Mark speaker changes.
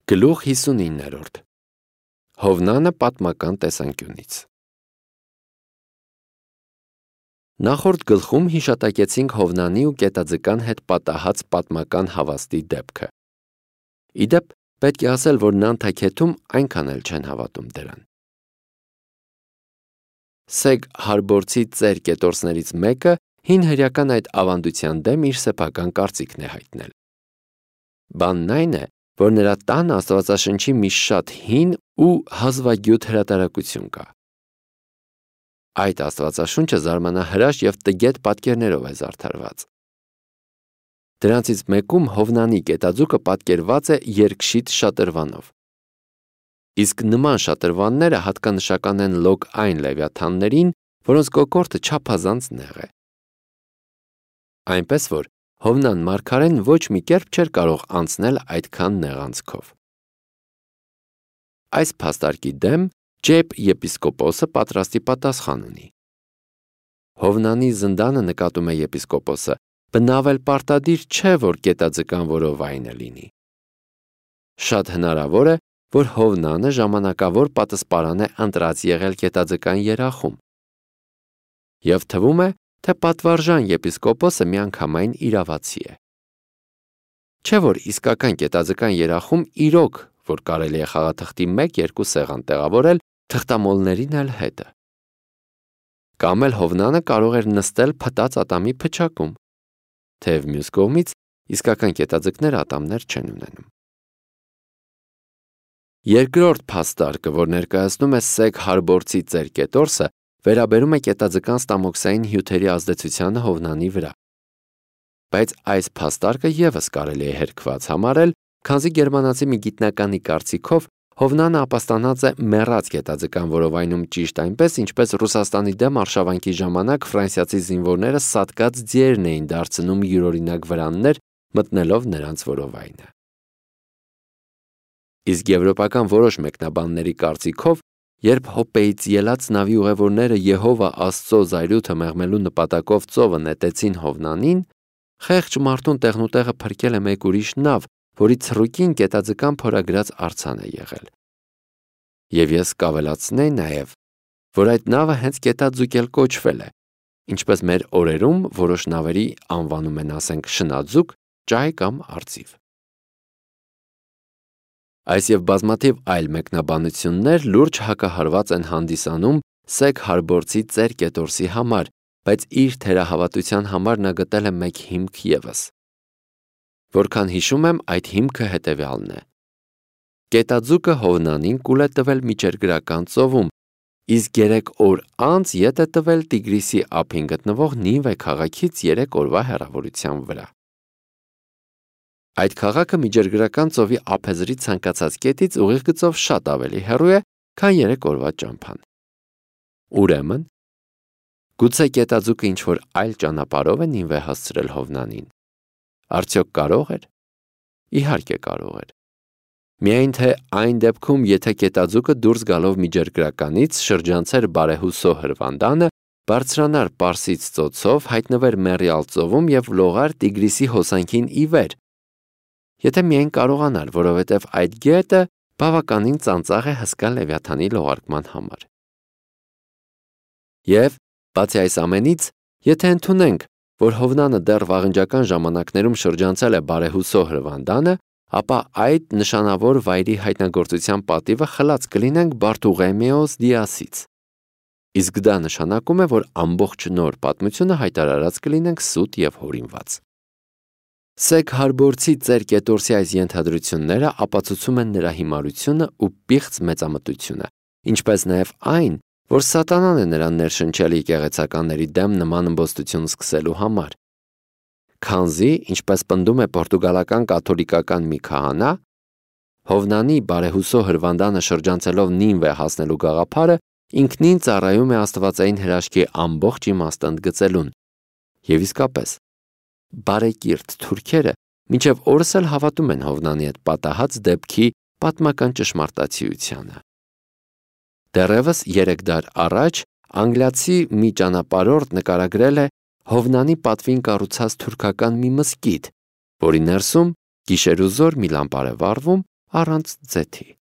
Speaker 1: Գլուխ 59 Հովնանը պատմական տեսանկյունից Նախորդ գլխում հիշատակեցինք Հովնանի ու կետաձկան հետ պատահած պատմական հավաստի դեպքը։ Իդեպ, պետք է ասել, որ Նանթաքեթում այնքան էլ չեն հավատում դրան։ Սեգ Հարբորցի ծեր կետորսներից մեկը հին հրեական այդ ավանդության դեմ իր սեփական կարծիքն է հայտնել։ Բանն այն է, որ նրա տան Աստվածաշնչի մի շատ հին ու հազվագյուտ հրատարակություն կա։ Այդ Աստվածաշունչը զարմանահրաշ և տգետ պատկերներով է զարդարված։ Դրանցից մեկում Հովնանի կետաձուկը պատկերված է երկշիտ շատրվանով։ Իսկ նման շատրվանները հատկանշական են լոկ այն լևիաթաններին, որոնց կոկորդը չափազանց նեղ է։ Այնպես որ Հովնան մարգարեն ոչ մի կերպ չէր կարող անցնել այդքան նեղ անցքով։ Այս փաստարկի դեմ Ջեփ եպիսկոպոսը պատրաստի պատասխան ունի։ Հովնանի զնդանը, նկատում է եպիսկոպոսը, բնավ էլ պարտադիր չէ, որ կետաձկան որովայնը լինի։ Շատ հնարավոր է, որ Հովնանը ժամանակավոր պատասպարան է ընտրած եղել կետաձկան երախում։ Եվ թվում է, թե պատվարժան եպիսկոպոսը միանգամայն իրավացի է։ Չէ որ իսկական կետաձկան երախում իրոք, որ կարելի է խաղաթղթի 1-2 սեղան տեղավորել, թղթամոլներին էլ հետը։ Կամ էլ Հովնանը կարող էր նստել փտած ատամի փչակում, թեև մյուս կողմից իսկական կետաձկները ատամներ չեն ունենում։ Երկրորդ փաստարկը, որ ներկայացնում է Սեգ Հարբորցի ծեր կետորսը, վերաբերում է կետաձկան ստամոքսային հյութերի ազդեցությանը Հովնանի վրա։ Բայց այս փաստարկը ևս կարելի է հերքված համարել, քանզի գերմանացի մի գիտնականի կարծիքով Հովնանը ապաստանած է մեռած կետաձկան որովայնում ճիշտ այնպես, ինչպես Ռուսաստանի դեմ արշավանքի ժամանակ ֆրանսիացի զինվորները սատկած ձիերն էին դարձնում յուրօրինակ վրաններ, մտնելով նրանց որովայնը։ Իսկ եվրոպական որոշ մեկնաբանների կարծիքով, երբ Հոպեից ելած նավի ուղևորները Եհովա Աստծո զայրույթը մեղմելու նպատակով ծովը նետեցին Հովնանին, խեղճ մարդուն տեղնուտեղը փրկել է մեկ ուրիշ նավ, որի ցռուկին կետաձկան փորագրած արձան է եղել։ Եվ ես կավելացնեի նաև, որ այդ նավը հենց կետաձուկ էլ կոչվել է, ինչպես մեր օրերում որոշ նավերի անվանում են, ասենք, շնաձուկ, ճահ կամ արծիվ։ Այս և բազմաթիվ այլ մեկնաբանություններ լուրջ հակահարված են հանդիսանում Սեգ Հարբորցի ծեր կետորսի համար, բայց իր թերահավատության համար նա գտել է մեկ հիմք ևս։ Որքան հիշում եմ, այդ հիմքը հետևյալն է։ Կետաձուկը Հովնանին կուլ է տվել Միջերգրական ծովում, իսկ 3 օր անց ետ է տվել Տիգրիսի ափին գտնվող Նինվե քաղաքից 3 օրվա հեռավորության վրա։ Այդ քաղաքը Միջերգրական ծովի ափեզրի ցանկացած կետից ուղիղ գծով շատ ավելի հեռու է, քան 3 օրվա ճամփան։ Ուրեմն, գուցե կետաձուկը ինչ-որ այլ ճանապարհով է Նինվե հասցրել Հովնանին։ Արդյոք կարող էր։ Իհարկե կարող էր։ Միայն թե այն դեպքում, եթե կետաձուկը դուրս գալով Միջերգրականից շրջանցեր բարեհուսո հրվանդանը, բարձրանար Պարսից ծոցով, հայտնվեր Մեռյալ ծովում և լողար Տիգրիսի հոսանքին ի վեր։ Եթե միայն կարողանար, որովհետև այդ գետը բավականին ծանծաղ է հսկա Լևիաթանի լողարկման համար։ Եվ, բացի այս ամենից, եթե ընդունենք, որ Հովնանը դեռ վաղնջական ժամանակներում շրջանցել է բարեհուսո հրվանդանը, ապա այդ նշանավոր վայրի հայտնագործության պատիվը խլած կլինենք Բարտուղեմեոս Դիասից։ Իսկ դա նշանակում է, որ ամբողջ նոր պատմությունը հայտարարած կլինենք սուտ և հորինված։ Սեգ Հարբորցի ծեր կետորսի այս ենթադրությունները ապացուցում են նրա հիմարությունը ու պիղծ մեծամտությունը, ինչպես նաև այն, որ սատանան է նրան ներշնչել եկեղեցականների դեմ նման ըմբոստություն սկսելու համար։ Քանզի, ինչպես պնդում է պորտուգալական կաթոլիկական մի քահանա, Հովնանի բարեհուսո հրվանդանը շրջանցելով Նինվե հասնելու գաղափարը ինքնին ծառայում է աստվածային հրաշքի ամբողջ իմաստը ընդգծելուն։ Եվ իսկապես, բարեկիրթ թուրքերը մինչև օրս էլ հավատում են Հովնանի հետ պատահած դեպքի պատմական ճշմարտացիությանը։ Դեռևս 3 դար առաջ անգլիացի մի ճանապարհորդ նկարագրել է Հովնանի պատվին կառուցած թուրքական մի մզկիթ, որի ներսում գիշեր ու զօր մի լամպար է վառվում առանց ձեթի։